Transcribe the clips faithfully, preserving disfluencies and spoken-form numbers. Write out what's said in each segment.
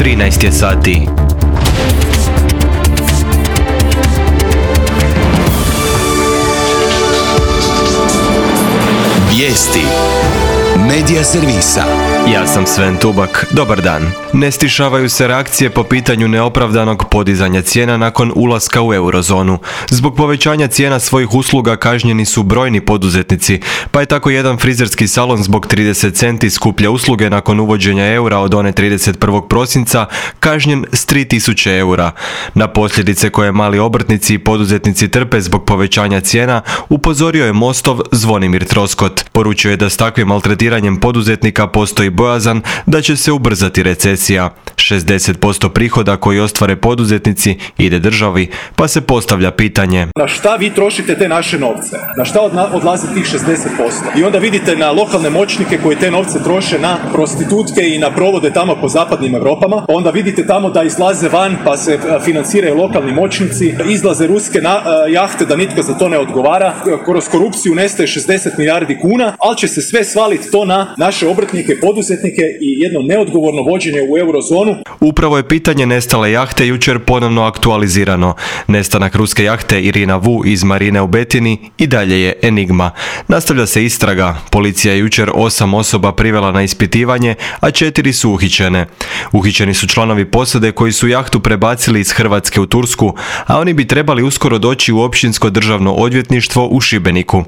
trinaest je sati. Vijesti Medija servisa. Ja sam Sven Tubak, dobar dan. Ne stišavaju se reakcije po pitanju neopravdanog podizanja cijena nakon ulaska u eurozonu. Zbog povećanja cijena svojih usluga kažnjeni su brojni poduzetnici, pa je tako jedan frizerski salon zbog trideset centi skuplje usluge nakon uvođenja eura od one trideset prvog prosinca kažnjen s tri tisuće eura. Na posljedice koje mali obrtnici i poduzetnici trpe zbog povećanja cijena upozorio je Mostov Zvonimir Troskot. Poručio je da s takvim maltretiranjem poduzetnika postoji bojazan da će se ubrzati recesija. šezdeset posto prihoda koji ostvare poduzetnici ide državi, pa se postavlja pitanje: na šta vi trošite te naše novce? Na šta odlazi tih šezdeset posto? I onda vidite na lokalne moćnike koji te novce troše na prostitutke i na provode tamo po zapadnim Europama. Onda vidite tamo da izlaze van pa se financiraju lokalni moćnici, izlaze ruske na, uh, jahte da nitko za to ne odgovara. Kroz korupciju nestaje šezdeset milijardi kuna, ali će se sve svaliti to na naše obrtnike, poduzetnike i jedno neodgovorno vođenje u eurozonu. Upravo je pitanje nestale jahte jučer ponovno aktualizirano. Nestanak ruske jahte Irina Vu iz marine u Betini i dalje je enigma. Nastavlja se istraga. Policija je jučer osam osoba privela na ispitivanje, a četiri su uhićene. Uhićeni su članovi posade koji su jahtu prebacili iz Hrvatske u Tursku, a oni bi trebali uskoro doći u općinsko državno odvjetništvo u Šibeniku.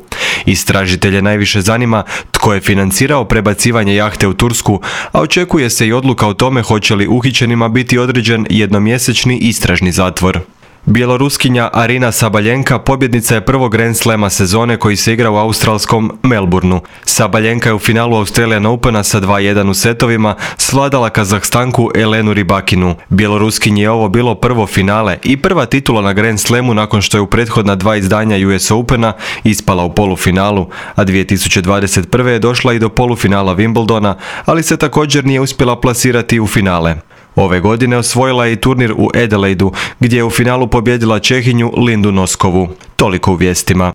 Istražitelje najviše zanima tko je financirao prebacivanje jahte u Tursku, a očekuje se i odluka o tome hoće li uhićenima biti određen jednomjesečni istražni zatvor. Bjeloruskinja Arina Sabaljenka pobjednica je prvog Grand Slama sezone koji se igra u australskom Melbourneu. Sabaljenka je u finalu Australian Opena sa dva jedan u setovima svladala Kazahstanku Elenu Rybakinu. Bjeloruskinji je ovo bilo prvo finale i prva titula na Grand Slamu nakon što je u prethodna dva izdanja U S Opena ispala u polufinalu, a dvije tisuće dvadeset prve je došla i do polufinala Wimbledona, ali se također nije uspjela plasirati u finale. Ove godine osvojila je i turnir u Adelaidu, gdje je u finalu pobijedila Čehinju Lindu Noskovu. Toliko u vijestima.